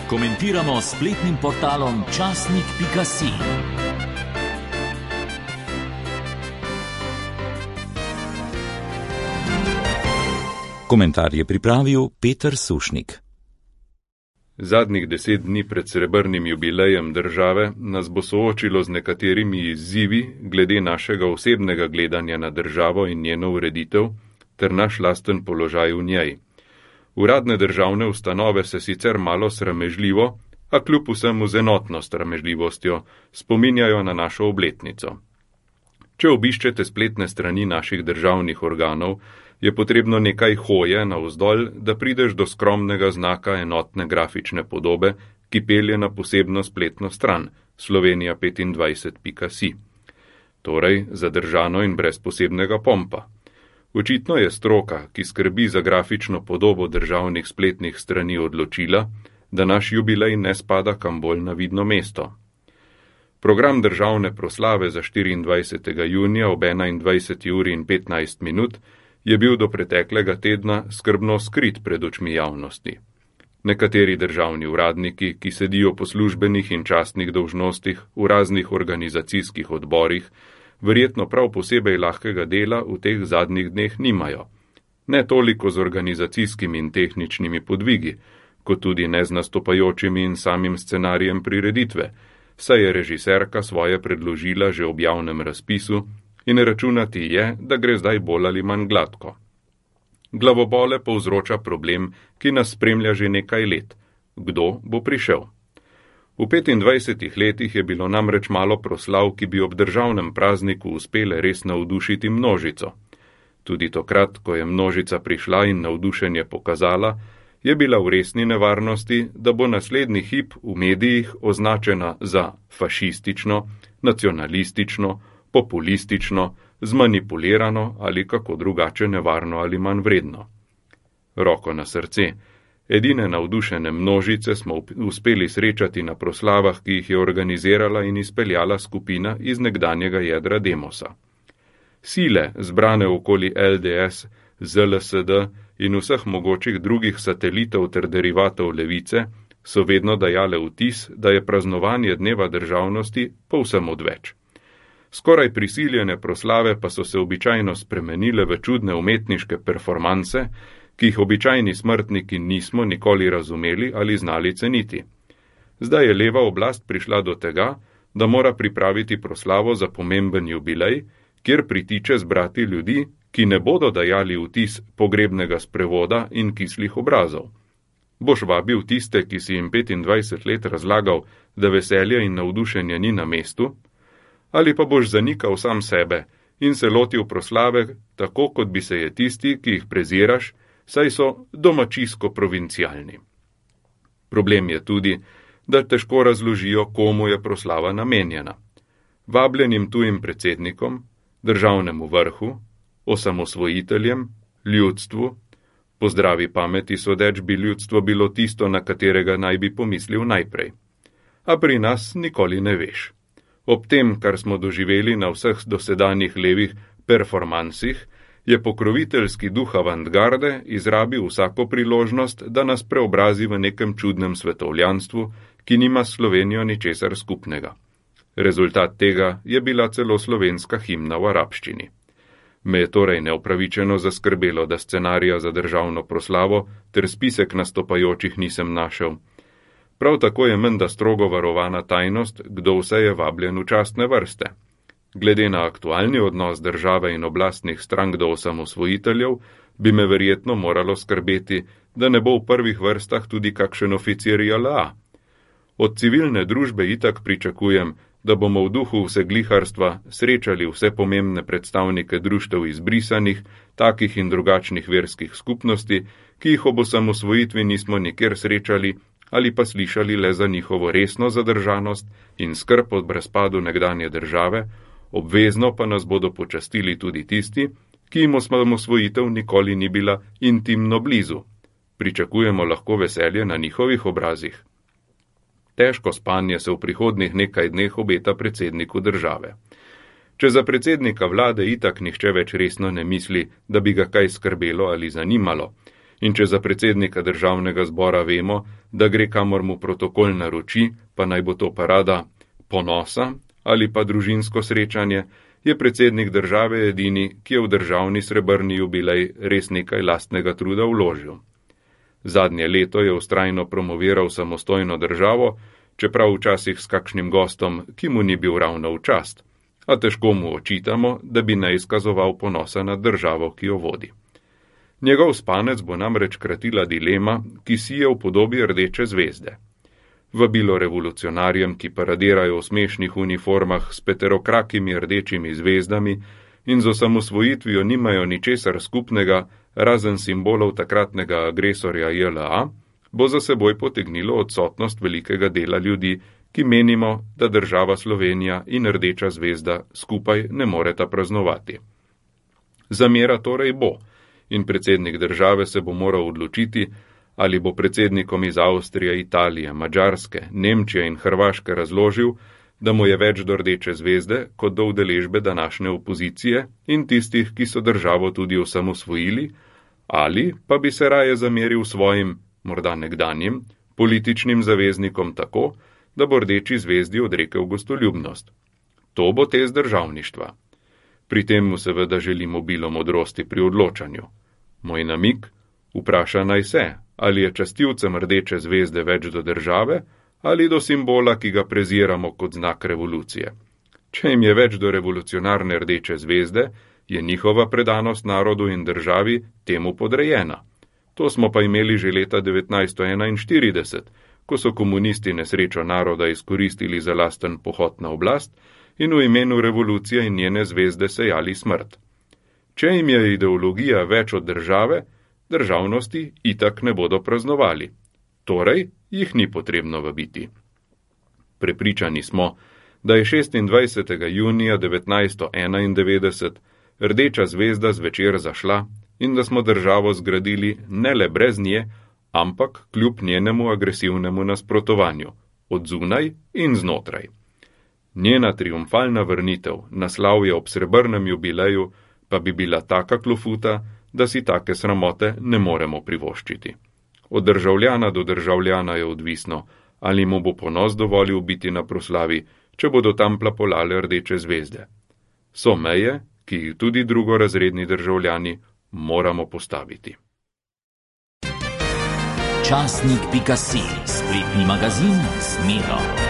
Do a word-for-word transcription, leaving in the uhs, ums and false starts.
Komentiramo s spletnim portalom časnik pika si. Komentar je pripravil Peter Sušnik. Zadnjih deset dni pred srebrnim jubilejem države nas bo soočilo z nekaterimi izzivi glede našega osebnega gledanja na državo in njeno ureditev ter naš lasten položaj v njej. Uradne državne ustanove se sicer malo sramežljivo, a kljub vsemu z enotno sramežljivostjo spominjajo na našo obletnico. Če obiščete spletne strani naših državnih organov, je potrebno nekaj hoje navzdolj, da prideš do skromnega znaka enotne grafične podobe, ki pelje na posebno spletno stran slovenija petindvajset pika si. Torej, zadržano in brez posebnega pompa. Očitno je stroka, ki skrbi za grafično podobo državnih spletnih strani, odločila, da naš jubilej ne spada kam bolj na vidno mesto. Program državne proslave za štiriindvajsetega junija ob enaindvajseti uri in petnajst minut je bil do preteklega tedna skrbno skrit pred očmi javnosti. Nekateri državni uradniki, ki sedijo po službenih in častnih dolžnostih v raznih organizacijskih odborih, verjetno prav posebej lahkega dela v teh zadnjih dneh nimajo. Ne toliko z organizacijskimi in tehničnimi podvigi, kot tudi ne z nastopajočimi in samim scenarijem prireditve, saj je režiserka svoje predložila že ob javnem razpisu in računati je, da gre zdaj bolj ali manj gladko. Glavobole povzroča problem, ki nas spremlja že nekaj let. Kdo bo prišel? V petindvajsetih letih je bilo namreč malo proslav, ki bi ob državnem prazniku uspele res navdušiti množico. Tudi tokrat, ko je množica prišla in navdušenje pokazala, je bila v resni nevarnosti, da bo naslednji hip v medijih označena za fašistično, nacionalistično, populistično, zmanipulirano ali kako drugače nevarno ali manj vredno. Roko na srce, edine navdušene množice smo uspeli srečati na proslavah, ki jih je organizirala in izpeljala skupina iz nekdanjega jedra Demosa. Sile, zbrane okoli el de es, ze el es de in vseh mogočih drugih satelitov ter derivatov levice, so vedno dajale vtis, da je praznovanje dneva državnosti povsem odveč. Skoraj prisiljene proslave pa so se običajno spremenile v čudne umetniške performanse, ki jih običajni smrtniki nismo nikoli razumeli ali znali ceniti. Zdaj je leva oblast prišla do tega, da mora pripraviti proslavo za pomemben jubilej, kjer pritiče zbrati ljudi, ki ne bodo dajali vtis pogrebnega sprevoda in kislih obrazov. Boš vabil tiste, ki si jim petindvajset let razlagal, da veselje in navdušenje ni na mestu, ali pa boš zanikal sam sebe in se lotil proslave, tako kot bi se je tisti, ki jih preziraš, saj so domačijsko provincialni. Problem je tudi, da težko razložijo, komu je proslava namenjena. Vabljenim tujim predsednikom, državnemu vrhu, osamosvojiteljem, ljudstvu, po zdravi pameti sodeč bi ljudstvo bilo tisto, na katerega naj bi pomislil najprej. A pri nas nikoli ne veš. Ob tem, kar smo doživeli na vseh dosedanjih levih performansih, je pokroviteljski duh avantgarde izrabil vsako priložnost, da nas preobrazi v nekem čudnem svetovljanstvu, ki nima s Slovenijo ničesar skupnega. Rezultat tega je bila celo slovenska himna v arabščini. Me je torej neupravičeno zaskrbelo, da scenarija za državno proslavo ter spisek nastopajočih nisem našel. Prav tako je menda strogo varovana tajnost, kdo vse je vabljen v častne vrste. Glede na aktualni odnos države in oblastnih strank do osamosvojiteljev, bi me verjetno moralo skrbeti, da ne bo v prvih vrstah tudi kakšen oficir je el a. Od civilne družbe itak pričakujem, da bomo v duhu vsegliharstva srečali vse pomembne predstavnike društev izbrisanih, takih in drugačnih verskih skupnosti, ki jih ob osamosvojitvi nismo nikjer srečali ali pa slišali le za njihovo resno zadržanost in skrb od razpadu nekdanje države, obvezno pa nas bodo počastili tudi tisti, ki jim osamosvojitev nikoli ni bila intimno blizu. Pričakujemo lahko veselje na njihovih obrazih. Težko spanje se v prihodnih nekaj dneh obeta predsedniku države. Če za predsednika vlade itak nihče več resno ne misli, da bi ga kaj skrbelo ali zanimalo, In če za predsednika državnega zbora vemo, da gre kamor mu protokol naroči, pa naj bo to parada ponosa ali pa družinsko srečanje, je predsednik države edini, ki je v državni srebrni jubilej res nekaj lastnega truda vložil. Zadnje leto je vztrajno promoviral samostojno državo, čeprav včasih s kakšnim gostom, ki mu ni bil ravno v čast, a težko mu očitamo, da bi ne izkazoval ponosa nad državo, ki jo vodi. Njegov spanec bo namreč kratila dilema, ki sije v podobi rdeče zvezde. Vabilo revolucionarjem, ki paradirajo v smešnih uniformah s peterokrakimi rdečimi zvezdami in z osamosvojitvijo nimajo ničesar skupnega, razen simbolov takratnega agresorja J L A, bo za seboj potegnilo odsotnost velikega dela ljudi, ki menimo, da država Slovenija in rdeča zvezda skupaj ne moreta praznovati. Zamera torej bo, in predsednik države se bo moral odločiti, ali bo predsednikom iz Avstrije, Italije, Madžarske, Nemčije in Hrvaške razložil, da mu je več do rdeče zvezde kot do udeležbe današnje opozicije in tistih, ki so državo tudi osamosvojili, ali pa bi se raje zameril svojim, morda nekdanjim, političnim zaveznikom tako, da bo rdeči zvezdi odrekel gostoljubnost. To bo test državništva. Pri tem mu seveda želimo obilo modrosti pri odločanju. Moj namig, vpraša naj se, ali je častilcem rdeče zvezde več do države ali do simbola, ki ga preziramo kot znak revolucije. Če jim je več do revolucionarne rdeče zvezde, je njihova predanost narodu in državi temu podrejena. To smo pa imeli že leta devetnajststo enainštirideset, ko so komunisti nesrečo naroda izkoristili za lasten pohod na oblast in v imenu revolucije in njene zvezde sejali smrt. Če jim je ideologija več od države, državnosti itak ne bodo praznovali. Torej, jih ni potrebno vabiti. Prepričani smo, da je šestindvajsetega junija devetnajststo enaindevetdeset rdeča zvezda zvečer zašla in da smo državo zgradili ne le brez nje, ampak kljub njenemu agresivnemu nasprotovanju, od zunaj in znotraj. Njena triumfalna vrnitev, naslavje ob srebrnem jubileju, pa bi bila taka klofuta, da si take sramote ne moremo privoščiti. Od državljana do državljana je odvisno, ali mu bo ponos dovolil biti na proslavi, če bodo tam plapolale rdeče zvezde. So meje, ki jih tudi drugorazredni državljani moramo postaviti. Časnik pika si, spletni magazin Zmedo.